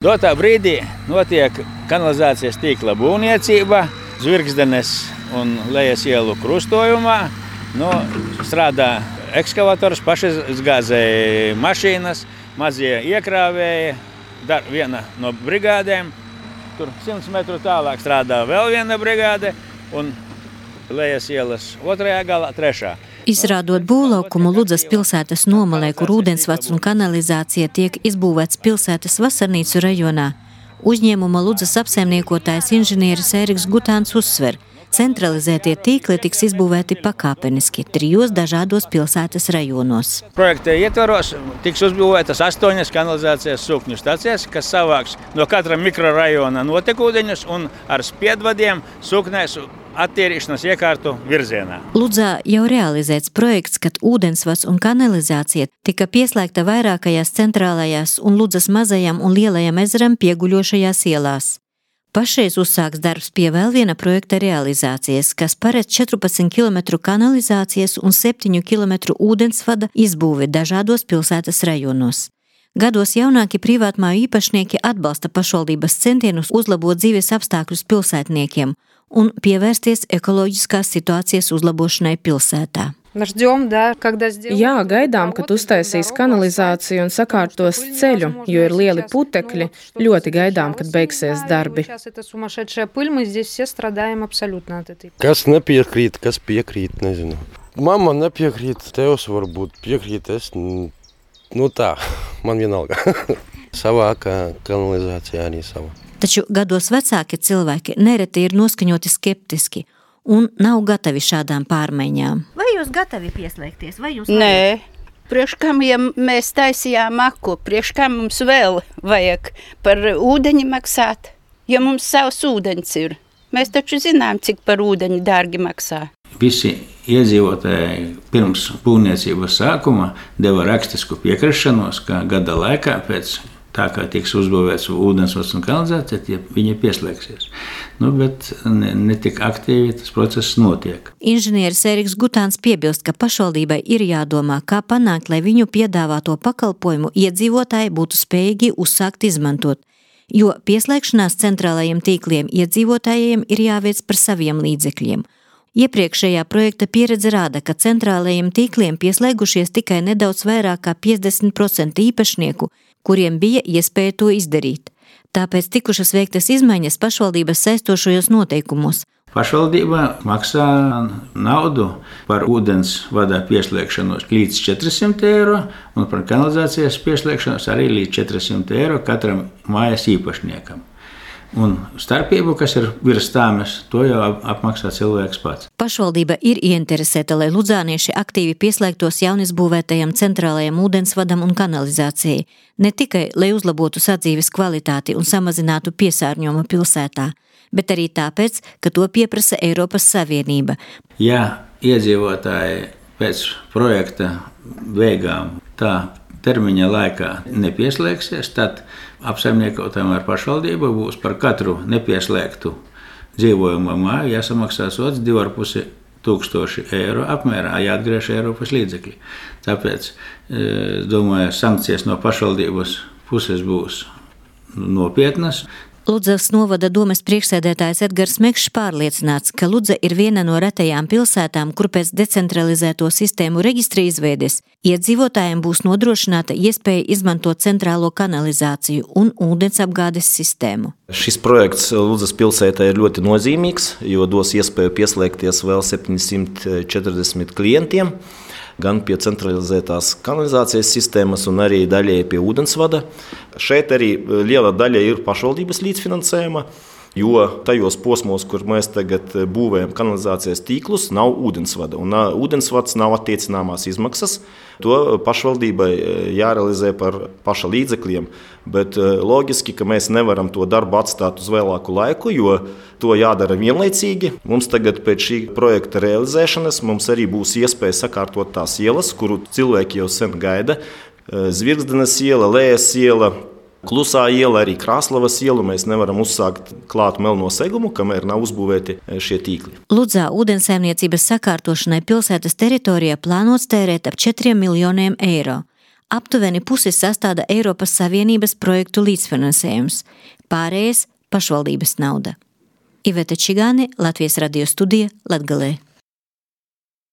Dotā brīdī notiek kanalizācijas tīkla būvniecība Zvirgzdenes un Lejas ielu krustojumā. Strādā ekskavators, pašizgāzēja mašīnas, mazie iekrāvēji, viena no brigādēm. Tur 100 metru tālāk strādā vēl viena brigāde un Lejas ielas otrajā galā trešā. Izrādot būvlaukumu Ludzas pilsētas nomalē, kur ūdensvads un kanalizācija tiek izbūvēts pilsētas Vasarnīcu rajonā, uzņēmuma Ludzas apsaimniekotājs inženieris Ēriks Gutāns uzsver, centralizētie tīkli tiks izbūvēti pakāpeniski 3 dažādos pilsētas rajonos. Projekta ietvaros tiks uzbūvētas 8 kanalizācijas sūkņu stacijas, kas savāks no katra mikrorajona notekūdeņus un ar spiedvadiem sūknēs attīrīšanas iekārtu virzienā. Ludzā jau realizēts projekts, kad ūdensvads un kanalizācija tika pieslēgta vairākajās centrālajās un Ludzas mazajām un lielajām ezeram pieguļošajās ielās. Pašreiz uzsāks darbs pie vēl viena projekta realizācijas, kas paredz 14 km kanalizācijas un 7 km ūdensvada izbūvi dažādos pilsētas rajonos. Gados jaunāki privātmāju īpašnieki atbalsta pašvaldības centienus uzlabot dzīves apstākļus pilsētniekiem un pievērsties ekoloģiskās situācijas uzlabošanai pilsētā. Jā, gaidām, kad uztaisīs kanalizāciju un sakārtos ceļu, jo ir lieli putekļi. Ļoti gaidām, kad beigsies darbi. Kas nepiekrīt, kas piekrīt, nezinu. Mamma nepiekrīt, tevs varbūt piekrīt, es, tā, man vienalga. Savākā kanalizācija arī sava. Taču gados vecāki cilvēki nereti ir noskaņoti skeptiski un nav gatavi šādām pārmaiņām. Vai jūs gatavi pieslēgties? Nē, priekš kam, ja mēs taisījām aku, priekš kam mums vēl vajag par ūdeņi maksāt, ja mums savs ūdeņs ir. Mēs taču zinām, cik par ūdeņu dārgi maksā. Visi iedzīvotāji pirms būvniecības sākuma deva rakstisku piekrišanos, ka gada laikā pēc tā kā tiks uzbūvēts ūdensvads un kanalizācija, viņi pieslēgsies. Bet ne tik aktīvi tas process notiek. Inženieris Ēriks Gutāns piebilst, ka pašvaldībai ir jādomā, kā panākt, lai viņu piedāvāto pakalpojumu iedzīvotāji būtu spējīgi uzsākt izmantot, jo pieslēgšanās centrālajiem tīkliem iedzīvotājiem ir jāveic par saviem līdzekļiem. Iepriekšējā projekta pieredze rāda, ka centrālajiem tīkliem pieslēgušies tikai nedaudz vairāk kā 50% īpašnieku, kuriem bija iespēja to izdarīt. Tāpēc tikušas veiktas izmaiņas pašvaldības saistošajos noteikumos. Pašvaldība maksā naudu par ūdens vadā pieslēgšanos līdz 400 eiro un par kanalizācijas pieslēgšanos arī līdz 400 eiro katram mājas īpašniekam. Un starpību, kas ir virs tāmes, to jau apmaksā cilvēks pats. Pašvaldība ir ieinteresēta, lai ludzānieši aktīvi pieslēgtos jaunizbūvētajam centrālajam ūdensvadam un kanalizācijai, ne tikai, lai uzlabotu sadzīves kvalitāti un samazinātu piesārņojumu pilsētā, bet arī tāpēc, ka to pieprasa Eiropas Savienība. Ja iedzīvotāji pēc projekta beigām tā termiņa laikā nepieslēgsies, tad apsaimniekotājiem ar pašvaldību būs par katru nepieslēgtu dzīvojamo māju jāsamaksā sods 2500 eiro apmērā, jāatgriež Eiropas līdzekļi. Tāpēc, domāju, sankcijas no pašvaldības puses būs nopietnas. Ludzas novada domes priekšsēdētājs Edgars Mekšs pārliecināts, ka Ludza ir viena no retajām pilsētām, kur pēc decentralizēto sistēmu reģistra izveides iedzīvotājiem būs nodrošināta iespēja izmantot centrālo kanalizāciju un ūdensapgādes sistēmu. Šis projekts Ludzas pilsētā ir ļoti nozīmīgs, jo dos iespēju pieslēgties vēl 740 klientiem, gan pie centralizētās kanalizācijas sistēmas un arī daļai pie ūdensvada. Šeit arī liela daļa ir pašvaldības līdzfinansējuma, jo tajos posmos, kur mēs tagad būvējam kanalizācijas tīklus, nav ūdensvada. Un ūdensvads nav attiecināmās izmaksas. To pašvaldībai jārealizē par paša līdzekļiem, bet loģiski, ka mēs nevaram to darbu atstāt uz vēlāku laiku, jo to jādara vienlaicīgi. Mums tagad pēc šī projekta realizēšanas mums arī būs iespēja sakārtot tās ielas, kuru cilvēki jau sen gaida. Zvirgzdenes iela, Lejas iela, Klusā iela, arī Krāslavas ielu mēs nevaram uzsākt klātu melno segumu, kamēr nav uzbūvēti šie tīkli. Ludzā ūdensaimniecības sakārtošanai pilsētas teritorijā plānots tērēt ap 4 miljoniem eiro. Aptuveni pusi sastāda Eiropas Savienības projektu līdzfinansējums, pārējais pašvaldības nauda. Iveta Čigāne, Latvijas radio studija, Latgalē.